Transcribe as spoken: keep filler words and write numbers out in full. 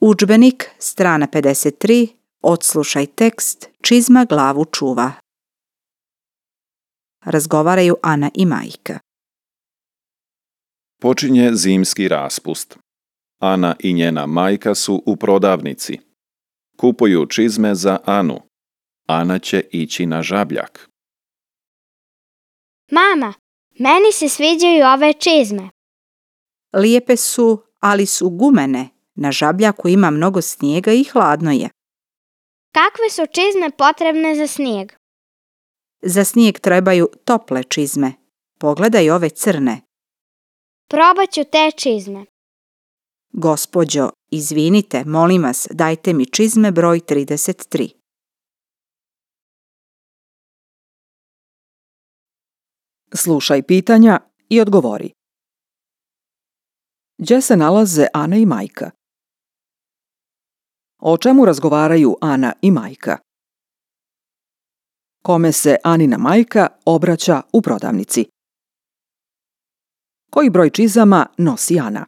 Udžbenik, strana pedeset tri, odslušaj tekst, čizma glavu čuva. Razgovaraju Ana i majka. Počinje zimski raspust. Ana i njena majka su u prodavnici. Kupuju čizme za Anu. Ana će ići na žabljak. Mama, meni se sviđaju ove čizme. Lijepe su, ali su gumene. Na žabljaku ima mnogo snijega i hladno je. Kakve su čizme potrebne za snijeg? Za snijeg trebaju tople čizme. Pogledaj ove crne. Probat ću te čizme. Gospođo, izvinite, molim vas, dajte mi čizme broj trideset tri. Slušaj pitanja i odgovori. Gdje se nalaze Ana i majka? O čemu razgovaraju Ana i majka? Kome se Anina majka obraća u prodavnici? Koji broj čizama nosi Ana?